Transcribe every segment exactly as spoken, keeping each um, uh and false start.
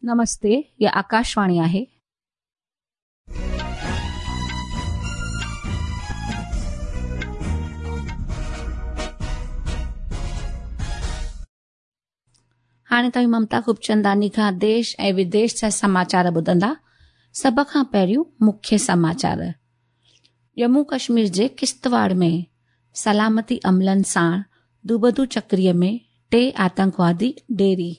नमस्ते, ये आकाशवाणी आहे. हाणे तव्हीं ममता खूबचंदानी खां देश ऐं विदेश जा समाचार ॿुधंदा. सभ खां पहिरियों मुख्य समाचार. जम्मू कश्मीर जे किश्तवाड़ में सलामती अमलनि सां दुबदू चक्रीअ में टे आतंकवादी ढेरी.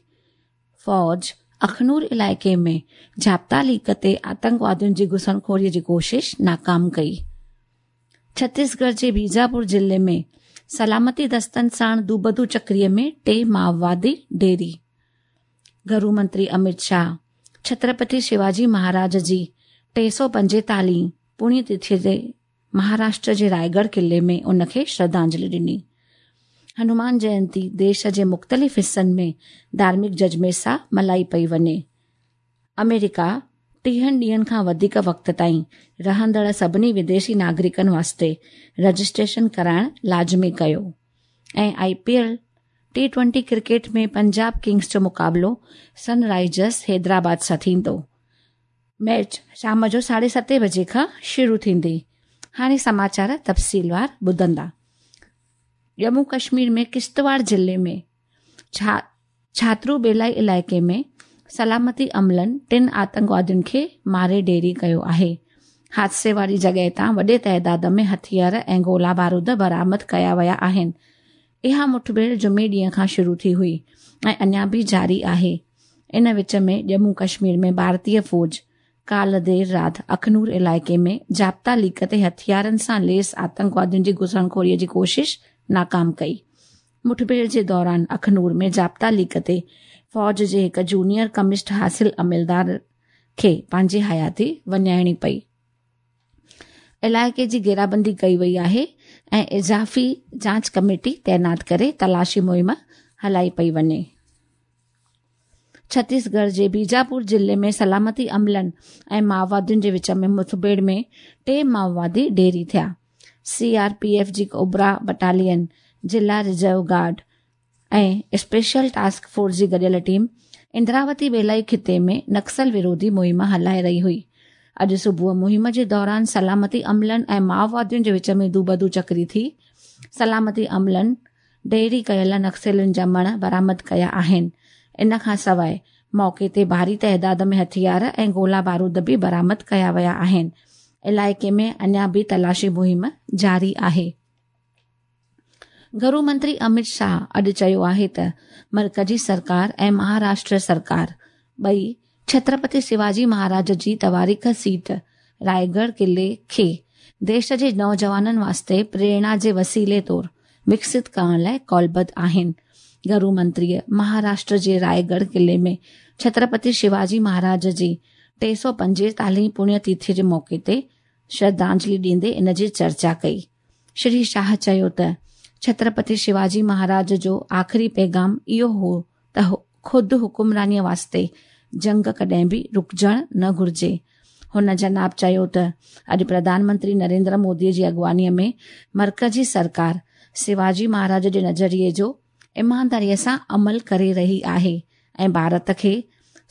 फ़ौज अखनूर इलाइक़े में ज़ाब्ता लीक ते आतंकवादियुनि जी घुसणखोरीअ जी कोशिश नाकाम कई. छत्तीसगढ़ जे बीजापुर ज़िले में सलामती दस्तनि सां दुबदू चक्रीअ में टे माओवादी ढेरी. घरू मंत्री अमित शाह छत्रपति शिवाजी महाराज जी टे सौ पंजेतालीह पुण्यतिथि ते महाराष्ट्र जे रायगढ़ क़िले में उनखे श्रद्धांजलि ॾिनी. हनुमान जयंती देश जे मुख़्तलिफ़ हिसनि में धार्मिक जज़्बे सां मल्हाई पई वञे. अमेरिका टीहनि ॾींहनि खां वधीक वक़्त ताईं रहंदड़ सभिनी विदेशी नागरिकनि वास्ते रजिस्ट्रेशन कराइण लाज़मी कयो. ऐं I P L T twenty cricket में पंजाब किंग्स जो मुक़ाबिलो सनराइजर्स हैदराबाद सां थींदो. मैच शाम जो साढे सते बजे खां शुरू थींदी. हाणे समाचार तफ़सीलवार ॿुधंदा. जम्मू कश्मीर में किश्तवाड़ ज़िले में छा छात्रू बेलाई इलाइक़े में सलामती अमलनि टिनि आतंकवादियुनि खे मारे ढेरी कयो आहे. हादसे वारी जॻह तां वॾे तादाद में हथियार ऐं गोला बारूद बरामद कया विया आहिनि. इहा मुठभेड़ जुमे ॾींहं खां शुरू थी हुई ऐं अञा बि जारी आहे. इन विच में जम्मू कश्मीर में भारतीय फ़ौज काल्ह देरि राति अखनूर इलाइक़े में ज़ाब्ता लीक ते हथियारनि सां लैस आतंकवादियुनि जी घुसणखोरीअ जी कोशिश नाकाम कई. मुठभेड़ जे दौरान अखनूर में ज़ाब्ता लीक ते फ़ौज जे हिकु जूनियर कमिश्ड हासिल अमलदार खे पंहिंजी हयाती वञाइणी पई. इलाइक़े जी घेराबंदी कई वई आहे ऐं इज़ाफ़ी जांच कमेटी तैनात करे तलाशी मुहिम हलाई पई वञे. छत्तीसगढ़ जे बीजापुर ज़िले में सलामती अमलनि ऐं माओवादियुनि जे विच में मुठभेड़ में टे माओवादी ढेरी थिया. सी आर पी एफ जी कोबरा बटालियन, ज़िला रिज़र्व गार्ड ऐं स्पेशल टास्क फोर्स जी गॾियल टीम इंद्रावती बेलाई ख़िते में नक्सल विरोधी मुहिम हलाए रही हुई. अॼु सुबुह मुहिम जे दौरान सलामती अमलनि ऐं माओवादियुनि जे विच में दूबदू चकरी थी. सलामती अमलनि ढेरी कयल नक्सलियुनि जा मण बरामद कया आहिनि. इन खां सवाइ मौक़े ते भारी तादाद में हथियार ऐं गोला बारूद बि बरामद कया विया आहिनि. इलाइक़े में अञा बि तलाशी मुहिम जारी आहे. घरू मंत्री अमित शाह अॼु चयो आहे त मर्कज़ी सरकार ऐं महाराष्ट्र सरकार ॿई छत्रपति शिवाजी महाराज जी तवारीख़ सीट रायगढ़ क़िले खे देश जे नौजवाननि वास्ते प्रेरणा जे वसीले तौर विकसित करण लाइ कौलबद्ध आहिनि. घरू मंत्रीअ महाराष्ट्र जे रायगढ़ क़िले में छत्रपति शिवाजी महाराज जी टे सौ पंजेतालीह पुण्यतिथि जे मौक़े ते श्रद्धांजलि ॾींदे इन जी चर्चा कई. श्री शाह चयो त छत्रपति शिवाजी महाराज जो आख़िरी पैगाम इहो हो त ख़ुदि हुकुमरानीअ वास्ते जंग कॾहिं बि रुकिजणु न घुरिजे. हुन जनाब चयो त अॼु प्रधानमंत्री नरेंद्र मोदीअ जी अॻुवानीअ में मर्कज़ी सरकार शिवाजी महाराज जे नज़रिए जो ईमानदारीअ सां अमल करे रही आहे ऐं भारत खे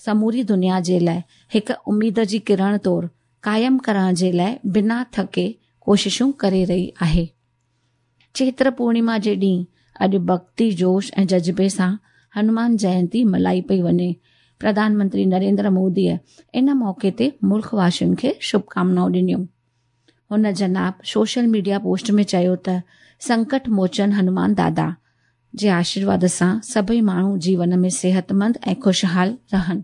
समूरी दुनिया जे लाइ हिकु उमेद जी किरण तौर क़ाइमु करण जे लाइ बिना थके कोशिशूं करे रही आहे. चैत्र पूर्णिमा जे ॾींहुं अॼु भक्ति जोश ऐं जज़्बे सां हनुमान जयंती मल्हाई पई वञे. प्रधानमंत्री नरेंद्र मोदीअ इन मौक़े ते मुल्क वासियुनि खे शुभकामनाऊं ॾिनियूं. हुन जनाब सोशल मीडिया पोस्ट में चयो त संकट मोचन हनुमान दादा जे आशीर्वाद सां सभई माण्हू जीवन में सिहतमंद ऐं ख़ुशहाल रहनि.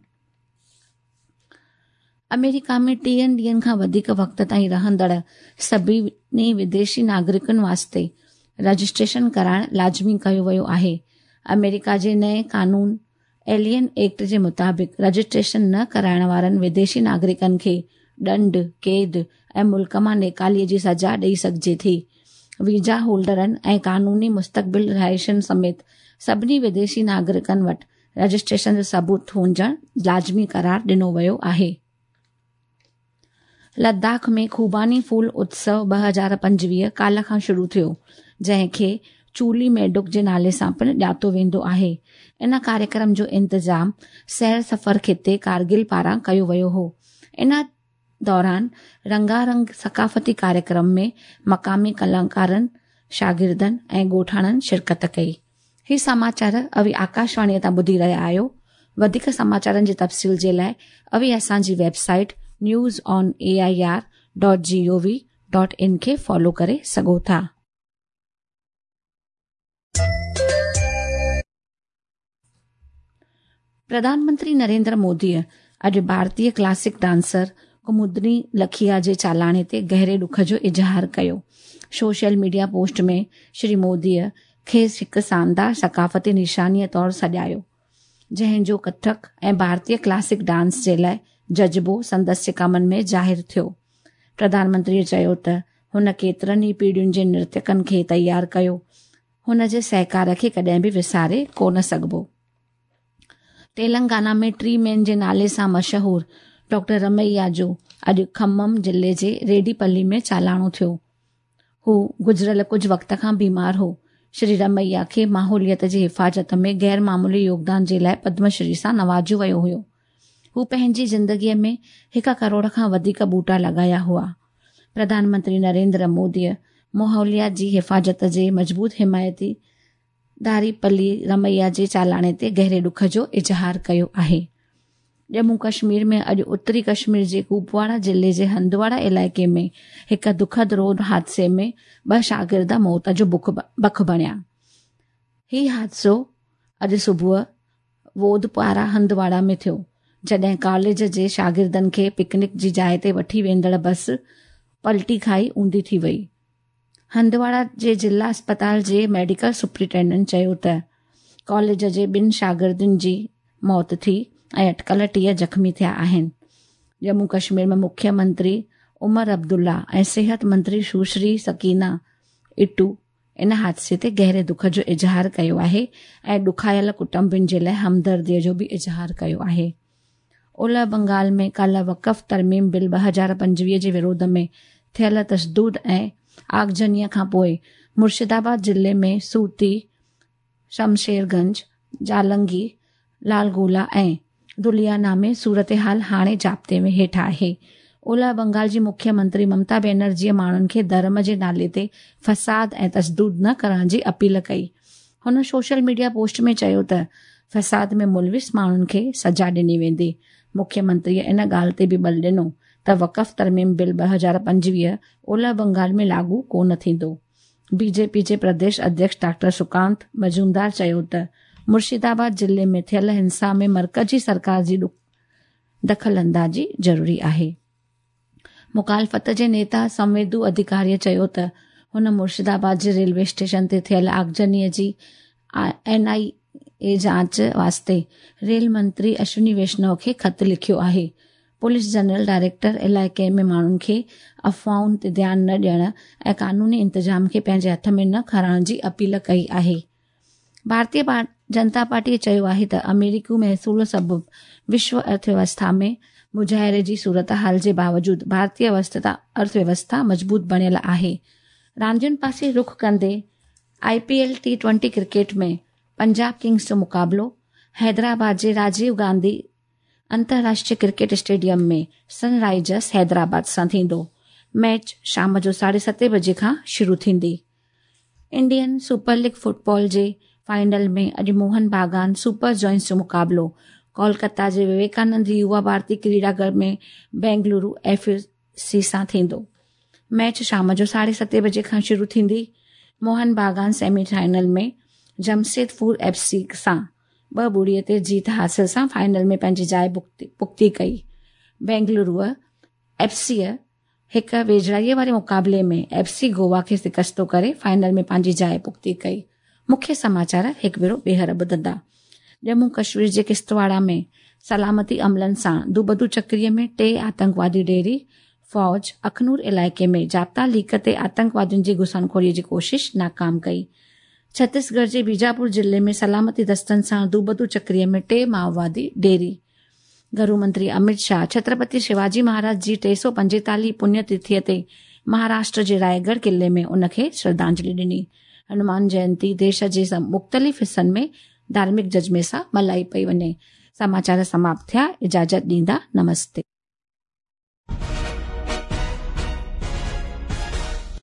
अमेरिका में टीहनि ॾींहनि खां वधीक वक़्त ताईं रहंदड़ सभिनी विदेशी नागरिकनि वास्ते रजिस्ट्रेशन कराइण लाज़मी कयो वियो आहे. अमेरिका जे नए कानून एलियन एक्ट जे मुताबिक़ रजिस्ट्रेशन न कराइण वारनि विदेशी नागरिकनि खे ॾंड, क़ैद ऐं मुल्क मां निकालीअ जी सज़ा ॾेई सघिजे थी. वीज़ा होल्डरनि ऐं कानूनी मुस्तक़बिल रिहाइशनि समेत सभिनी विदेशी नागरिकनि वटि रजिस्ट्रेशन जो सबूत हुजणु लाज़मी करार ॾिनो वियो आहे. लद्दाख में खूबानी फूल उत्सव ॿ हज़ार पंजवीह काल्ह खां शुरू थियो, जंहिंखे چولي ميڊڪ جي نالي سان پڻ ڄاتو ويندو آهي. ان ڪاريڪرم جو انتظام سير سفر خطي ڪارگل پاران ڪيو ويو هو. ان دوران رنگارنگ ثقافتي ڪاريڪرم ۾ مقامي ڪلاڪارن، شاگردن ۽ ڳوٺاڻن شرڪت ڪئي. هي سماچار اوهين آڪاشواڻيء تان ٻڌي رهيا آهيو. وڌيڪ سماچارن جي تفصيل جي لاءِ اوهين اسان جي website news on A I R dot G O V dot in کي فالو ڪري سگهو ٿا. پرڌان منتري نريندر موديء اڄ ڀارتيه ڪلاسڪ ڊانسر ڪمودني لکيا جي چالاڻي تي گهري ڏک جو اظهار ڪيو. سوشل ميڊيا پوسٽ ۾ شري موديء کيس هڪ شاندار ثقافتي نشانيء طور سڏايو، جنهن جو ڪٿڪ ۽ ڀارتيه ڪلاسڪ ڊانس جي لاءِ جذبو سندس ڪمن ۾ ظاهر ٿيو. پرڌان منتريءَ چيو ته هن ڪيترن ئي پيڙهين جي نرتيڪن کي تيار ڪيو. هن جي سهڪار کي ڪڏهن به وساري ڪونه سگهبو. تيلنگانا ۾ ٽري مين جي نالي سان مشهور ڊاڪٽر رميا جو اڄ کمم ضلعي جي ريڊيپلي ۾ چالاڻو ٿيو. هو گذريل ڪجهه وقت کان بيمار هو. شري رميا کي ماحوليات جي حفاظت ۾ غير معمولي يوگدان جي لاءِ پدم شري سان نوازيو ويو هيو. هو پنهنجي زندگيءَ ۾ هڪ ڪروڙ کان وڌيڪ ٻوٽا لڳايا هئا. پرڌان منتري نريندر موديءَ ماحوليات جي حفاظت جي مضبوط حمايتي داريپلي رميا جي چالاڻي تي گهري ڏک جو اظهار ڪيو آهي. ڄمون ڪشمير ۾ اڄ اتري ڪشمير جي ڪپواڙا ضلعي جي هندواڙا علائقي ۾ هڪ دکد روڊ حادثي ۾ ٻه شاگرد موت جو بک بڻيا. هي حادثو اڄ صبح وودپارا هندواڙا ۾ ٿيو، جڏهن ڪاليج جي شاگردن کي پڪنڪ جي جاءِ تي وٺي ويندڙ بس پلٽي کائي اونڌي ٿي وئي. هندواڙا جي ضلع اسپتال جي ميڊيڪل سپرنٽينڊنٽ چيو ته ڪاليج جي ٻن شاگردن جي موت ٿي ۽ اٽڪل ٽيهه زخمي ٿيا آهن. ڄمون ڪشمير ۾ مکيه منتري عمر عبدالله ۽ صحت منتري سشري سڪينا اٽو ان حادثي تي گهري دک جو اظهار ڪيو آهي ۽ ڏکايل ڪٽنبن جي لاءِ همدرديءَ جو به اظهار ڪيو آهي. اولهه بنگال ۾ ڪالهه وقف ترميم بل ٻه هزار پنجويهه جي وروڌ ۾ ٿيل تشدد ۽ آگجنيءَ کان پوءِ مرشدآباد ضلعي ۾ سوتي، شمشيرگنج، جالنگي، لالگولا ۽ دليانا ۾ صورتحال هاڻي ضابطي ۾ هيٺ آهي. اولهه بنگال جي مکيه منتري ممتا بينرجيءَ ماڻهن کي ڌرم جي نالي تي فساد ۽ تشدد نه ڪرڻ جي اپيل ڪئي. هن سوشل ميڊيا پوسٽ ۾ چيو ته فساد ۾ ملوث ماڻهن کي سزا ڏني ويندي. مکيه منتريءَ ان ڳالهه تي به بل ڏنو ته وقف ترميم بل ٻه هزار پنجويهه اولهه بنگال ۾ لاڳو ڪونه ٿيندو. بي جي پي جي پرديش اڌيڪش ڊاڪٽر سڪانت مجومدار چيو ته مرشدآباد ضلعي ۾ ٿيل هنسا ۾ مرڪزي سرڪار جي دخل اندازي ضروري آهي. مخالفت جي نيتا سنويدو اڌڪاريءَ چيو ته هن مرشدآباد جي ريلوي اسٽيشن تي ٿيل آگجنيءَ جي اين آءِ اي جاچ واسطي ريل منتري اشوني ويشنو کي خط لکيو آهي. پوليس جنرل ڊائريڪٽر علائقي ۾ ماڻهن کي افواهن تي ڌيان نه ڏيڻ ۽ قانوني انتظام کي پنهنجي هٿ ۾ نه کڻڻ جي اپيل ڪئي آهي. ڀارتيه جنتا پارٽيءَ چيو آهي ته آمريڪي محصول سبب وشو ارٿويوسٿا ۾ مظاهري جي صورت حال جي باوجود ڀارتيه ارٿويوسٿا مضبوط بڻيل آهي. راندين پاسي رخ ڪندي I P L T twenty cricket ۾ Punjab Kings جو مقابلو حيدرآباد جي راجيو گانڌي انترراشٽريه ڪرڪيٽ اسٽيڊيم ۾ سن رائيزرس حيدرآباد سان ٿيندو. ميچ شام جو ساڍي ستين بجي کان شروع ٿيندي. انڊين سپر ليگ فٽبال جي فائنل ۾ اڄ موهن باگان سپر جائنٽس جو مقابلو ڪولڪتا جي وويڪانند يووا ڀارتي ڪريڙاگهر ۾ بينگلورو ايف سي سان ٿيندو. ميچ شام جو ساڍي ستين بجي کان شروع ٿيندي. Mohun Bagan semi final ۾ Jamshedpur F C سان ٻه ٻڙيءَ تي جيت حاصل سان فائنل ۾ پنهنجي جاءِ پختي ڪئي. بينگلورو ايف سيءَ هڪ ويجهڙائيءَ واري مقابلي ۾ ايف سي گوا کي شڪستو ڪري فائنل ۾ پنهنجي جاءِ پختي ڪئي. مکيه سماچار هڪ ڀيرو ٻيهر ٻڌندا. ڄمون ڪشمير جي ڪشتواڙا ۾ سلامتي عملن سان دوبدو چڪريءَ ۾ ٽي آتنڪوادي ڊيري. فوج اکنور علائقي ۾ ضابطا ليڪ تي آتنڪوادين جي گهسڻخوريءَ جي ڪوشش ناڪام ڪئي. ڇتيسڳڙهه جي بيجاپور ضلعي ۾ سلامتي دستن سان دوبدو چڪريءَ ۾ ٽي مائووادي ڊيري. گهرو منتري امت شاهه ڇترپتي شيواجي مهاراج جي ٽي سؤ پنجيتاليهه پڃ تٿيءَ تي مهاراشٽر جي رائيڳڙهه قلعي ۾ ان کي شرڌانجلي ڏني. हनुमान जयंती देश जे मुख़्तलिफ़ हिसनि में धार्मिक जज़्बे सां मल्हाई पई वञे। समाचार समाप्त थिया। इजाज़त ॾींदा। नमस्ते।